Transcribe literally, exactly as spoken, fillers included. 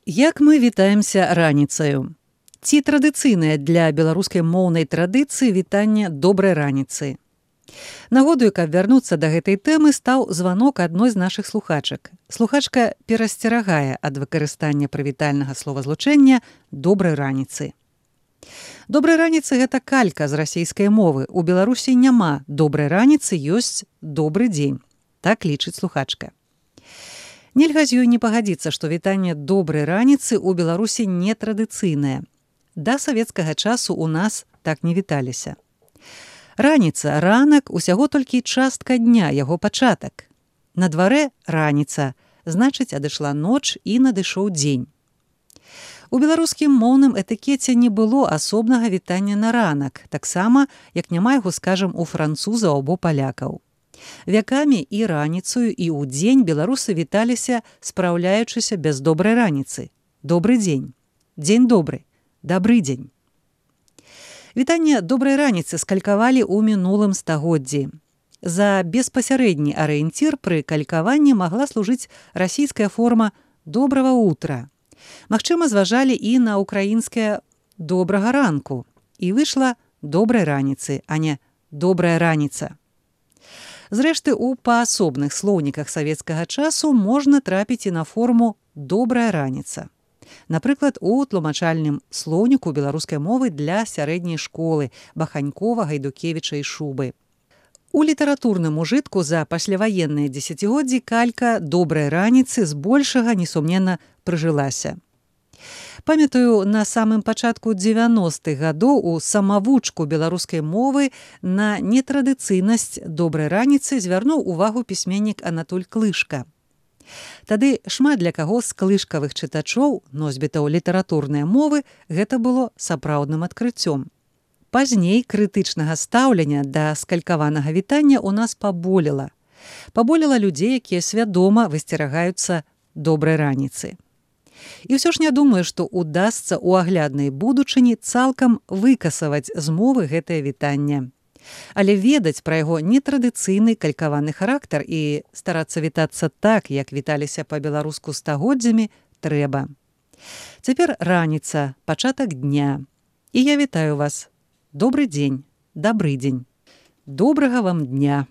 Як мы вітаемся раніцаю? Ці традыцыйнае для беларускай моўнай традыцыі вітанне добрай раніцы? Нагодаю, каб вярнуцца да гэтай тэмы, стаў званок адной з нашых слухачак. Слухачка перасцерагае ад выкарыстання прывітальнага словазлучэння добрай раніцы. Добрай раніцы – гэта калька з расейскай мовы. У Беларусі няма добрай раніцы, ёсць добры дзень. Так лічыць слухачка. Нельга з ёй не пагадзіцца, што вітанне добрай раніцы ў Беларусі нетрадыцыйнае. Да савецкага часу ў нас так не віталіся. Раніца, ранак, усяго толькі частка дня, яго пачатак. На дварэ раніца, значыць, адышла ноч і надышоў дзень. У беларускім моўным этыкеце не было асобнага вітання на ранак, таксама, як няма яго, скажам, у французаў або палякаў. Вякамі і раніцаю, і ў дзень беларусы віталіся, спраўляючыся без добрай раніцы. Добры дзень. Дзень добры. Дабры дзень. Вітанне добрай раніцы скалькавалі ў мінулым стагоддзі. За беспасярэдні арыенцір пры калькаванні магла служыць расійская форма «добрага утра». Магчыма, зважалі і на украінскае «добрага ранку». І выйшла «добрай раніцы», а не «добрая раніца». Зрэшты, у паасобных слоўніках савецкага часу можна трапіць і на форму «добрая раніца». Напрыклад, у тлумачальным слоўніку беларускай мовы для сярэдняй школы Баханькова, Гайдукевіча і Шубы. У літаратурным ужытку за пасляваенныя дзесяцігоддзі калька «добрай раніцы» збольшага, несумненна, прыжылася. Памятаю, на самым пачатку дзевяностых гадоў у самавучку беларускай мовы на нетрадыцыйнасць добрай раніцы звярнуў увагу пісьменнік Анатоль Клышка. Тады шмат для каго з клышкавых чытачоў, носьбітаў літаратурнай мовы, гэта было сапраўдным адкрыццём. Пазней крытычнага стаўлення да скалькаванага вітання ў нас паболела. Паболела людзей, якія свядома высцерагаюцца добрай раніцы. І ўсё ж не думаю, што ўдасца ў агляднай будучыні цалкам выкасаваць з мовы гэтае вітанне. Але ведаць пра яго нетрадыцыйны калькаваны характар і старацца вітацца так, як віталіся па-беларуску стагоддзямі, трэба. Цяпер раніца, пачатак дня. І я вітаю вас. Добры дзень, дабры дзень. Добрага вам дня.